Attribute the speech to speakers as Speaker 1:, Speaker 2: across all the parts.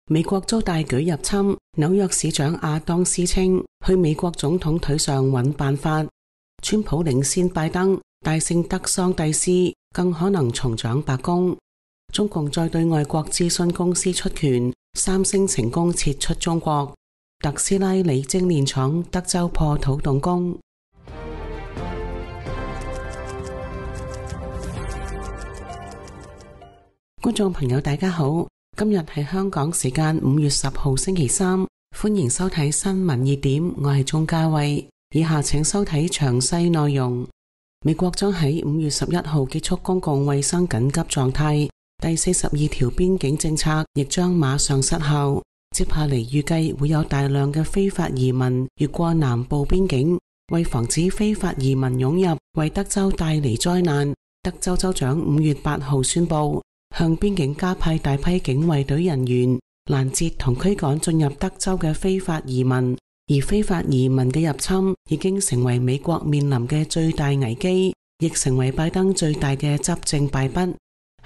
Speaker 1: 美國遭大舉入侵，紐約市長亞當斯稱去美國總統腿上揾辦法。川普領先拜登，大勝德桑蒂斯，更可能重掌白宮。中共再對外國諮詢公司出拳，三星成功撤出中國。特斯拉鋰精煉廠德州破土動工。觀眾朋友大家好，今日係香港時間5月10號星期三，歡迎收睇新聞熱點，我係鍾嘉慧。以下請收睇詳細內容。美國將喺5月11號結束公共衛生緊急狀態，第42條邊境政策亦將馬上失效。接下嚟預計會有大量嘅非法移民越過南部邊境，為防止非法移民湧入，為德州帶嚟災難。德州州長5月8號宣布，向邊境加派大批警衛隊人員，攔截同驅趕進入德州嘅非法移民。而非法移民嘅入侵已經成為美國面臨嘅最大危機，亦成為拜登最大嘅執政敗筆。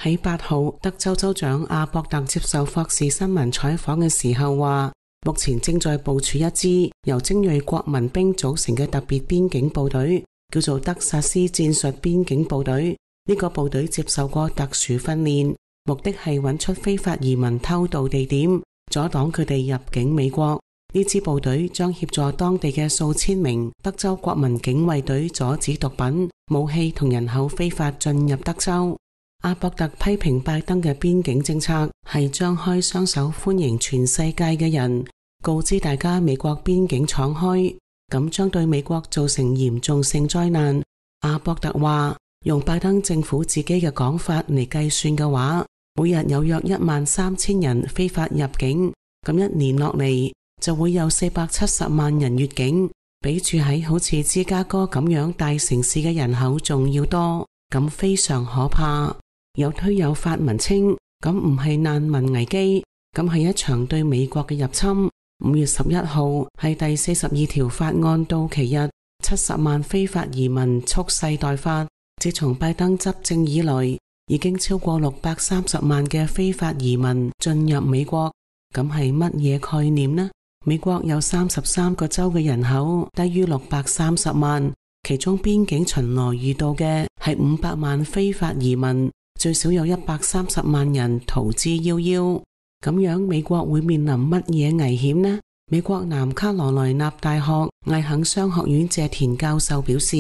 Speaker 1: 喺8號，德州州長阿博特接受霍士新聞採訪嘅時候話，目前正在部署一支由精銳國民兵組成嘅特別邊境部隊，叫做德薩斯戰術邊境部隊。呢個部隊接受過特殊訓練，目的係揾出非法移民偷渡地點，阻擋佢哋入境美國。呢支部隊將協助當地嘅數千名德州國民警衛隊阻止毒品、武器同人口非法進入德州。阿博特批評拜登嘅邊境政策係張開雙手歡迎全世界嘅人，告知大家美國邊境敞開，咁將對美國造成嚴重性災難。阿博特話，用拜登政府自己嘅講法嚟計算嘅話，每日有約13000人非法入境，咁一年落嚟就會有470萬人越境，比住喺好似芝加哥咁樣大城市嘅人口仲要多，咁非常可怕。有推有發文稱，咁唔係難民危機，咁係一場對美國嘅入侵。5月11號係第42條法案到期日，70萬非法移民蓄勢待發。自從拜登執政以來，已經超過630萬嘅非法移民進入美國，咁係乜嘢概念呢？美國有33個州嘅人口低於630萬，其中邊境巡邏遇到嘅係500萬非法移民，最少有130萬人逃之夭夭。咁樣美國會面臨乜嘢危險呢？美國南卡羅來納大學艾肯商學院謝田教授表示，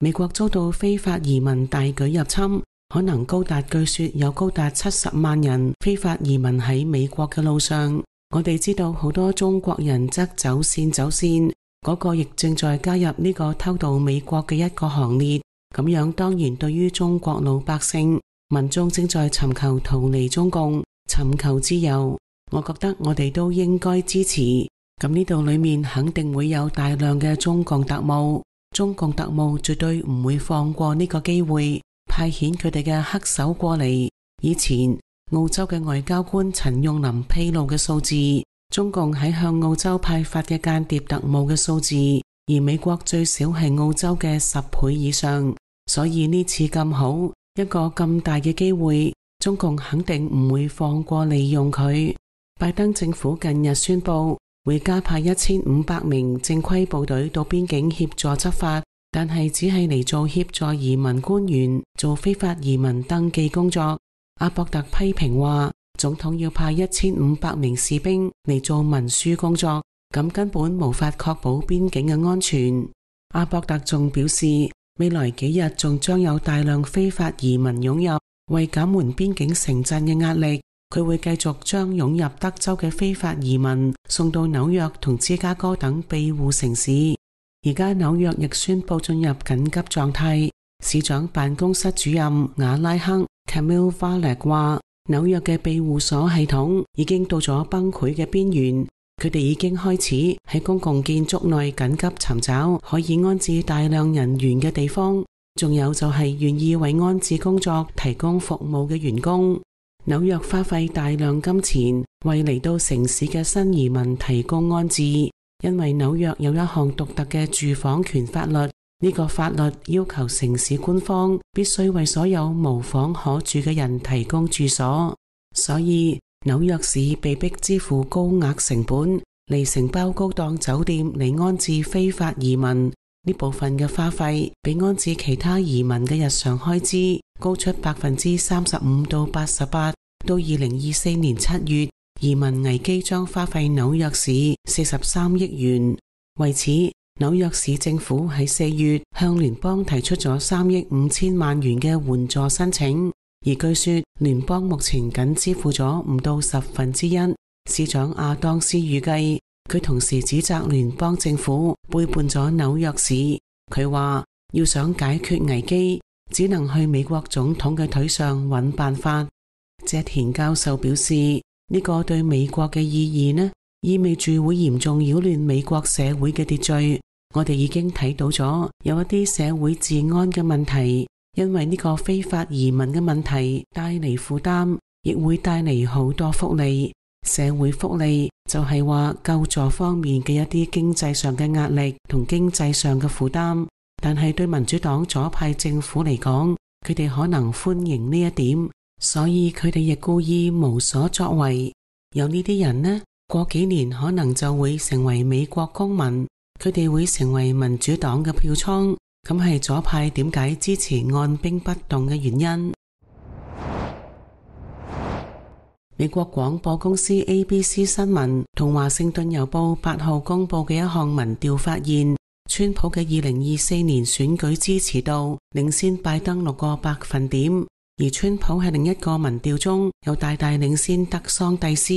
Speaker 1: 美國遭到非法移民大舉入侵，可能據說有高達70萬人非法移民喺美國嘅路上。我哋知道好多中國人則走線，嗰個亦正在加入呢個偷渡美國嘅一個行列。咁樣當然對於中國老百姓民眾正在尋求逃離中共、尋求自由，我覺得我哋都應該支持。咁呢度裏面肯定會有大量嘅中共特務，中共特務絕對唔會放過呢個機會，派遣佢哋嘅黑手過嚟。以前澳洲嘅外交官陳用林披露嘅數字，中共喺向澳洲派發嘅間諜特務嘅數字，而美國最少係澳洲嘅10倍以上。所以呢次咁好，一個咁大嘅機會，中共肯定唔會放過利用佢。拜登政府近日宣布會加派1500名正規部隊到邊境協助執法，但係只係嚟做協助移民官員做非法移民登記工作。阿博特批評話，總統要派1500名士兵嚟做文書工作，咁根本無法確保邊境嘅安全。阿博特仲表示，未來幾日仲將有大量非法移民湧入，為減緩邊境城鎮嘅壓力，佢會繼續將湧入德州嘅非法移民送到紐約同芝加哥等庇護城市。而家紐約亦宣布進入緊急狀態，市長辦公室主任瓦拉克 Camille Valek 話，紐約嘅庇護所系統已經到咗崩潰嘅邊緣，佢哋已經開始喺公共建築內緊急尋找可以安置大量人員嘅地方，仲有就係願意為安置工作提供服務嘅員工。紐約花費大量金錢為嚟到城市嘅新移民提供安置，因為紐約有一項獨特嘅住房權法律。呢個法律要求城市官方必須為所有無房可住嘅人提供住所，所以紐約市被迫支付高額成本嚟承包高檔酒店嚟安置非法移民。呢部分嘅花費比安置其他移民嘅日常開支高出35%到88%。到2024年7月，移民危機將花費紐約市43億元。為此，紐約市政府喺4月向聯邦提出咗3億5千萬元嘅援助申請，而據說聯邦目前僅支付咗唔到1/10。市長亞當斯預計，佢同時指責聯邦政府背叛咗紐約市。佢話要想解決危機，只能去美國總統嘅腿上揾辦法。謝田教授表示，呢個對美國嘅意義呢，意味住會嚴重擾亂美國社會嘅秩序。我哋已經睇到咗有一啲社會治安嘅問題，因為呢個非法移民嘅問題帶嚟負擔，亦會帶嚟好多福利。社會福利就係話救助方面嘅一啲經濟上嘅壓力同經濟上嘅負擔，但係對民主黨左派政府嚟講，佢哋可能歡迎呢一點，所以佢哋亦故意無所作為。有呢啲人呢，過幾年可能就會成為美國公民，佢哋會成為民主黨嘅票倉，咁係左派點解支持按兵不動嘅原因。美國廣播公司 ABC 新聞同華盛頓郵報8號公布嘅一項民調發現，川普嘅2024年選舉支持度領先拜登6個百分點，而川普喺另一個民調中又大大領先德桑蒂斯。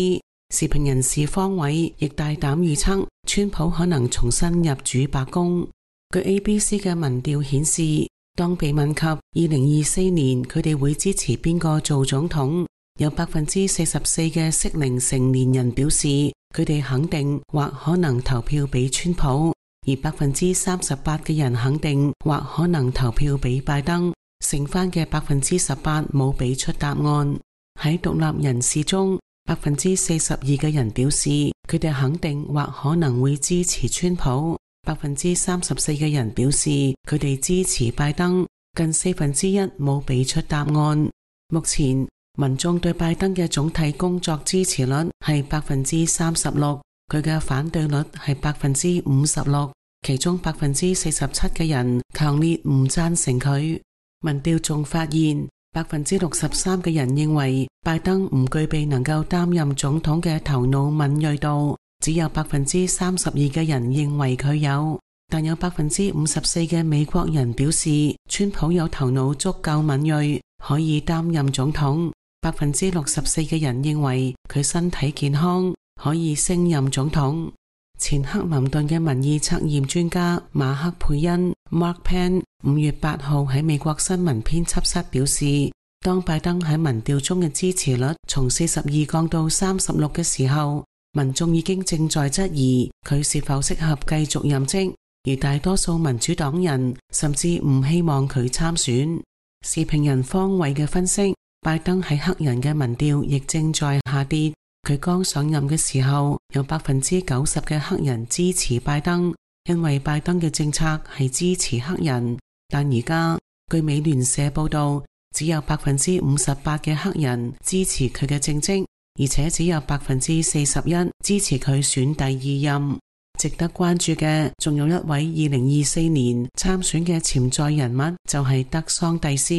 Speaker 1: 時評人士方偉亦大膽預測，川普可能重新入主白宮。據 ABC 嘅民調顯示，當被問及2024年佢哋會支持邊個做總統，有44%嘅適齡成年人表示佢哋肯定或可能投票俾川普，而38%嘅人肯定或可能投票俾拜登，剩翻嘅18%冇俾出答案。喺獨立人士中，42%嘅人表示佢哋肯定或可能會支持川普，34%嘅人表示佢哋支持拜登，近1/4冇俾出答案。目前民眾對拜登嘅總體工作支持率係36%，佢嘅反對率係56%，其中47%嘅人強烈唔贊成佢。民調仲發現63%嘅人認為拜登唔具備能夠擔任總統嘅頭腦敏銳度，只有32%嘅人認為佢有，但有54%嘅美國人表示川普有頭腦足夠敏銳，可以擔任總統。64%嘅人認為佢身體健康，可以升任總統。前克林頓嘅民意測驗專家馬克佩恩 Mark Penn 5月8號喺美國新聞編輯室表示，當拜登喺民調中嘅支持率從42降到36嘅時候，民眾已經正在質疑佢是否適合繼續任職，而大多數民主黨人甚至唔希望佢參選。時評人方偉嘅分析，拜登喺黑人嘅民調亦正在下跌。佢剛上任嘅時候，有90%嘅黑人支持拜登，因為拜登嘅政策係支持黑人。但而家據美聯社報道，只有58%嘅黑人支持佢嘅政績，而且只有41%支持佢選第二任。值得關注嘅仲有一位2024年參選嘅潛在人物，就係德桑蒂斯。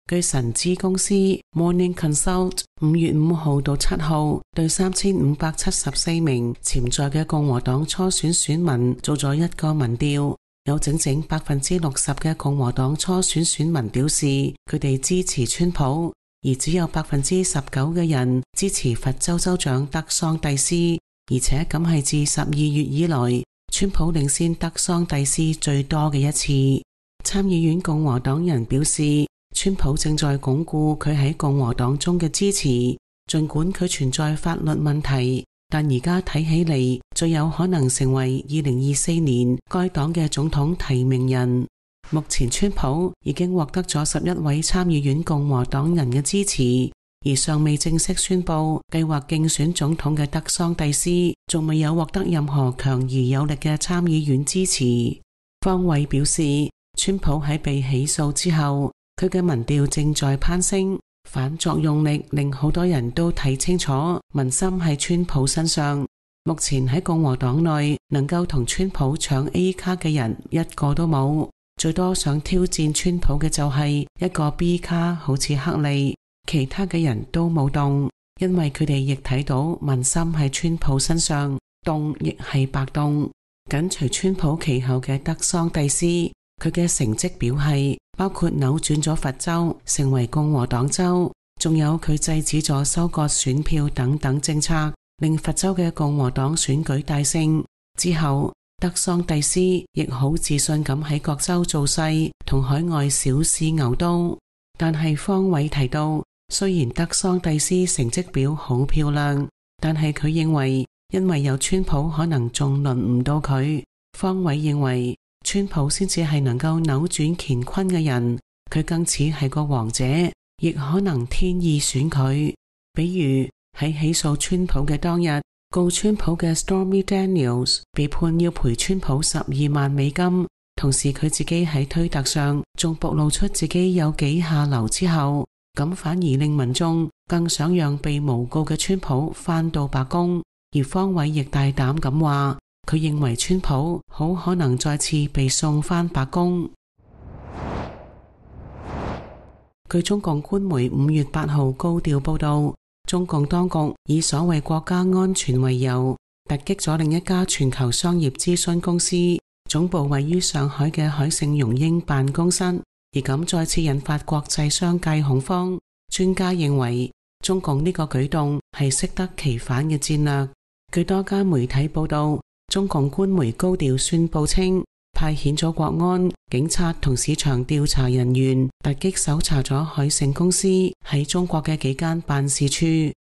Speaker 1: 據神知公司 Morning Consult 5月5號到7號對3574名潛在嘅共和黨初選選民做咗一個民調，有整整60%嘅共和黨初選選民表示佢哋支持川普，而只有19%嘅人支持佛州州長德桑蒂斯，而且咁係自12月以來川普領先德桑蒂斯最多嘅一次。參議院共和黨人表示，川普正在鞏固佢喺共和黨中嘅支持，儘管佢存在法律問題，但而家睇起嚟最有可能成為2024年該黨嘅總統提名人。目前川普已經獲得咗11位參議院共和黨人嘅支持，而尚未正式宣布計劃競選總統嘅德桑蒂斯仲未有獲得任何強而有力嘅參議院支持。方偉表示，川普喺被起訴之後，佢嘅民調正在攀升，反作用力令好多人都睇清楚民心喺川普身上。目前喺共和黨內能夠同川普搶 A 卡嘅人一個都冇，最多想挑戰川普嘅就係一個 B 卡，好似克利，其他嘅人都冇動，因為佢哋亦睇到民心喺川普身上，動亦係白動。緊隨川普其後嘅德桑蒂斯，佢嘅成績表係包括扭轉咗佛州成為共和黨州，仲有佢制止咗收割選票等等政策，令佛州嘅共和黨選舉大勝。之後德桑蒂斯亦好自信咁喺各州造勢，同海外小試牛刀。但係方偉提到，雖然德桑蒂斯成績表好漂亮，但係佢認為因為有川普可能仲輪唔到佢。方偉認為川普先至係能夠扭轉乾坤嘅人，佢更似係個王者，亦可能天意選佢。比如喺起訴川普嘅當日，告川普嘅 Stormy Daniels 被判要賠川普12萬美金，同時佢自己喺推特上仲暴露出自己有幾下流之後，咁反而令民眾更想讓被誣告嘅川普返到白宮。而方偉亦大膽咁話，佢認為川普好可能再次被送返白宮。據中共官媒5月8號高調報道，中共當局以所謂國家安全為由，突擊咗另一家全球商業諮詢公司，總部位於上海嘅海盛榮英辦公室，而咁再次引發國際商界恐慌。專家認為，中共呢個舉動係適得其反嘅戰略。據多家媒體報道，中共官媒高調宣布稱，派遣咗國安、警察同市場調查人員突擊搜查咗海盛公司喺中國嘅幾間辦事處，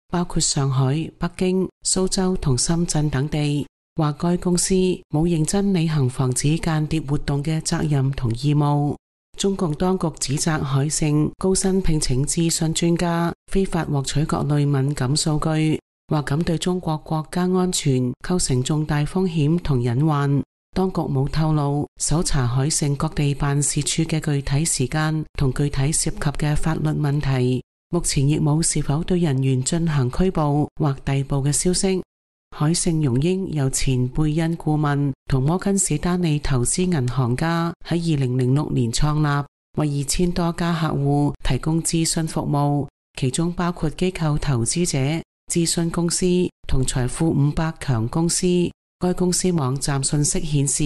Speaker 1: 包括上海、北京、蘇州同深圳等地，話該公司冇認真履行防止間諜活動嘅責任同義務。中共當局指責海盛高薪聘請諮詢專家，非法獲取各類敏感數據，話咁對中國國家安全構成重大風險同隱患。當局冇透露搜查海盛各地辦事處嘅具體時間同具體涉及嘅法律問題，目前亦冇是否對人員進行拘捕或逮捕嘅消息。海盛榮英由前貝恩顧問同摩根士丹利投資銀行家喺2006年創立，為2000多家客戶提供諮詢服務，其中包括機構投資者、諮詢公司同財富500強公司。該公司網站信息顯示，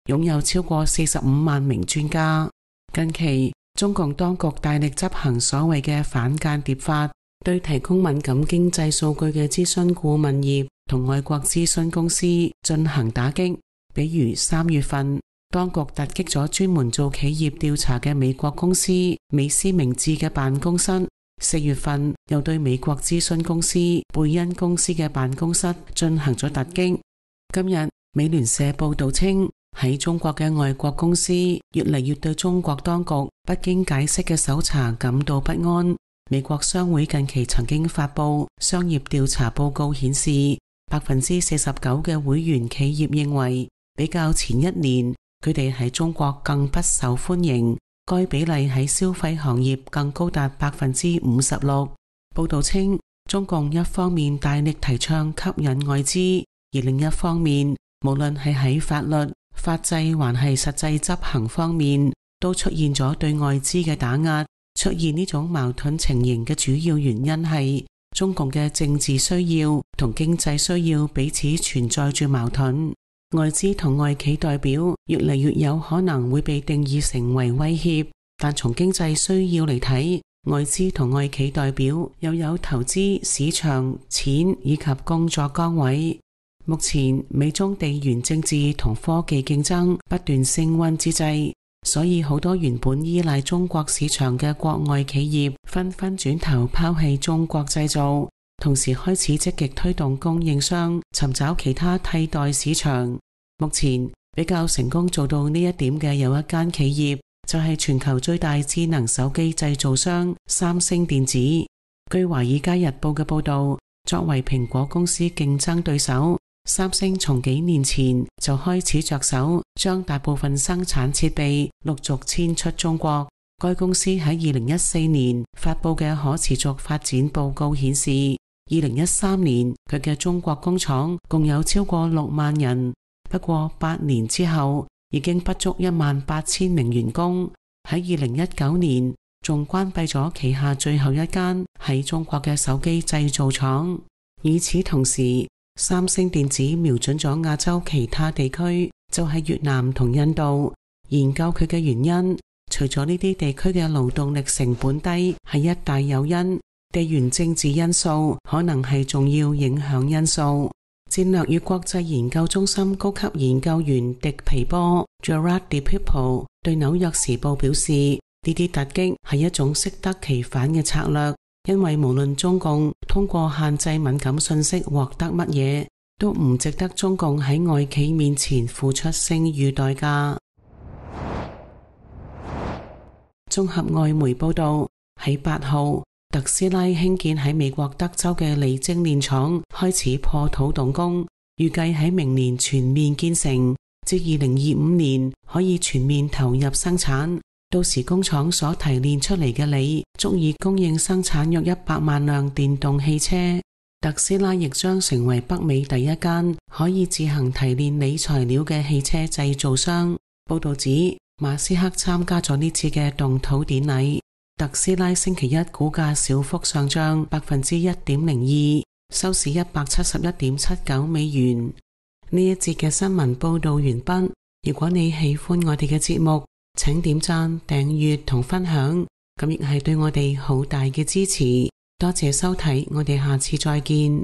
Speaker 1: 擁有超過45萬名專家。近期，中共當局大力執行所謂嘅反間諜法，對提供敏感經濟數據嘅諮詢顧問業同外國諮詢公司進行打擊。比如3月份，當局突擊咗專門做企業調查嘅美國公司美思明智嘅辦公室。4月份，又對美國諮詢公司貝恩公司嘅辦公室進行咗突擊。今日美聯社報道稱，喺中國嘅外國公司越嚟越對中國當局不經解釋嘅搜查感到不安。美國商會近期曾經發布商業調查報告顯示，49% 嘅會員企業認為比較前一年佢哋喺中國更不受歡迎，該比例喺消費行業更高達56%。報道稱，中共一方面大力提倡吸引外資，而另一方面，無論係喺法律、法制還係實際執行方面，都出現咗對外資嘅打壓。出現呢種矛盾情形嘅主要原因係中共嘅政治需要同經濟需要彼此存在住矛盾。外資同外企代表越嚟越有可能會被定義成為威脅，但從經濟需要嚟睇，外資同外企代表又有投資、市場、錢以及工作崗位。目前美中地緣政治同科技競爭不斷升溫之際，所以好多原本依賴中國市場嘅國外企業紛紛轉頭拋棄中國製造，同時開始積極推動供應商尋找其他替代市場。目前比較成功做到呢一點嘅有一間企業，就係全球最大智能手機製造商三星電子。據華爾街日報嘅報道，作為蘋果公司競爭對手，三星從幾年前就開始着手將大部分生產設備陸續遷出中國，該公司喺2014年發佈嘅可持續發展報告顯示，2013年佢嘅中國工廠共有超過6萬人，不過8年之後已經不足18000名員工。喺2019年仲關閉咗旗下最後一間喺中國嘅手機製造廠。與此同時，三星電子瞄準咗亞洲其他地區，就係越南同印度。研究佢嘅原因，除咗呢啲地區嘅勞動力成本低係一大誘因，地緣政治因素可能係重要影響因素。戰略與國際研究中心高級研究員迪皮波 Gerard de People 對紐約時報表示，呢啲突擊係一種適得其反嘅策略，因為無論中共通過限制敏感信息獲得乜嘢，都唔值得中共喺外企面前付出聲譽代價。綜合外媒報道，喺8號，特斯拉興建喺美國德州嘅鋰精煉廠開始破土動工，預計喺明年全面建成，至2025年可以全面投入生產。到時工廠所提煉出嚟嘅鋰足以供應生產約100萬輛電動汽車。特斯拉亦將成為北美第一間可以自行提煉鋰材料嘅汽車製造商。報道指，馬斯克參加咗呢次嘅動土典禮。特斯拉星期一股價小幅上漲1.02%，收市171.79美元。呢一節嘅新聞報道完畢。如果你喜歡我哋嘅節目，請點讚、訂閱同分享，咁亦係對我哋好大嘅支持。多謝收睇，我哋下次再見。